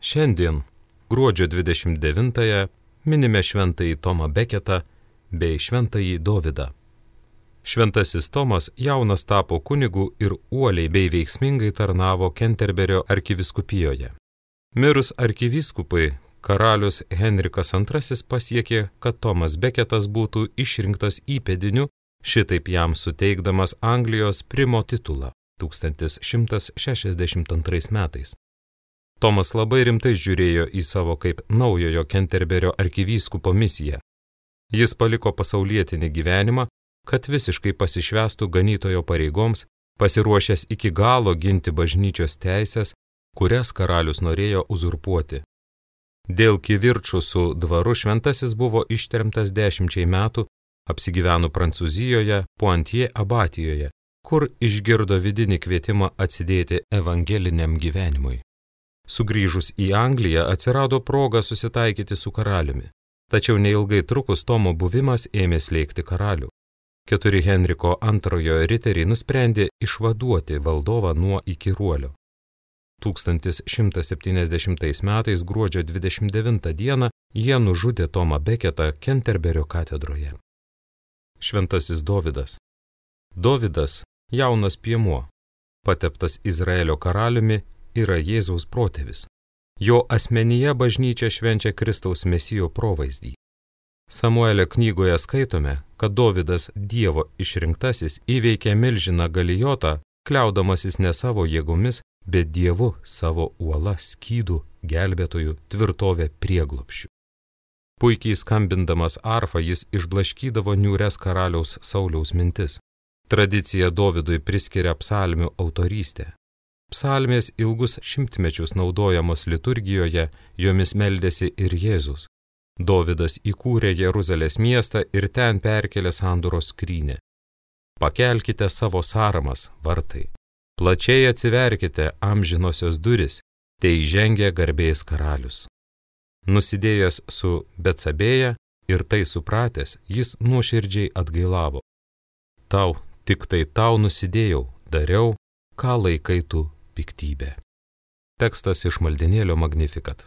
Šiandien, gruodžio 29-ąją, minime šventąjį Tomą Beketą bei šventąjį Dovydą. Šventasis Tomas jaunas tapo kunigu ir uoliai bei veiksmingai tarnavo Kenterberio arkivyskupijoje. Mirus arkivyskupai, karalius Henrikas II pasiekė, kad Tomas Beketas būtų išrinktas įpėdiniu, šitaip jam suteikdamas Anglijos primo titulą 1162 metais. Tomas labai rimtai žiūrėjo į savo kaip naujojo Kenterberio arkivyskupo misiją. Jis paliko pasaulietinį gyvenimą, kad visiškai pasišvęstų ganytojo pareigoms, pasiruošęs iki galo ginti bažnyčios teisės, kurias karalius norėjo uzurpuoti. Dėl kivirčų su dvaru šventasis buvo ištremtas 10 metų, apsigyveno Prancūzijoje, Poitiers abatijoje, kur išgirdo vidinį kvietimą atsidėti evangeliniam gyvenimui. Sugrįžus į Angliją atsirado proga susitaikyti su karaliumi, tačiau neilgai trukus Tomo buvimas ėmė slėgti karalių. 4 Henriko II riteriai nusprendė išvaduoti valdovą nuo įkyruolio. 1170 metais gruodžio 29 dieną jie nužudė Tomą Beketą Kenterberio katedroje. Šventasis Dovydas. Dovydas, jaunas piemuo, pateptas Izraelio karaliumi, yra Jėzaus protėvis. Jo asmenyje bažnyčia švenčia Kristaus Mesijo provaizdį. Samuelio knygoje skaitome, kad Dovydas Dievo išrinktasis įveikė milžiną Galijotą, kliaudamasis ne savo jėgomis, bet Dievu savo uola, skydu, gelbėtojų, tvirtovė prieglobsčių. Puikiai skambindamas arfą jis išblaškydavo niūres karaliaus Sauliaus mintis. Tradicija Dovydui priskiria psalmių autorystę. Psalmės ilgus šimtmečius naudojamos liturgijoje, jomis meldėsi ir Jėzus. Dovydas įkūrė Jeruzalės miestą ir ten perkėlė sandoros skrynią. Pakelkite savo sąramas, vartai. Plačiai atsiverkite amžinosios duris, te įžengia garbės karalius. Nusidėjęs su Betsabėja ir tai supratęs, jis nuoširdžiai atgailavo. Tau, tik tai tau nusidėjau, dariau, ką laikai tu piktybė. Tekstas iš maldinėlio Magnificat.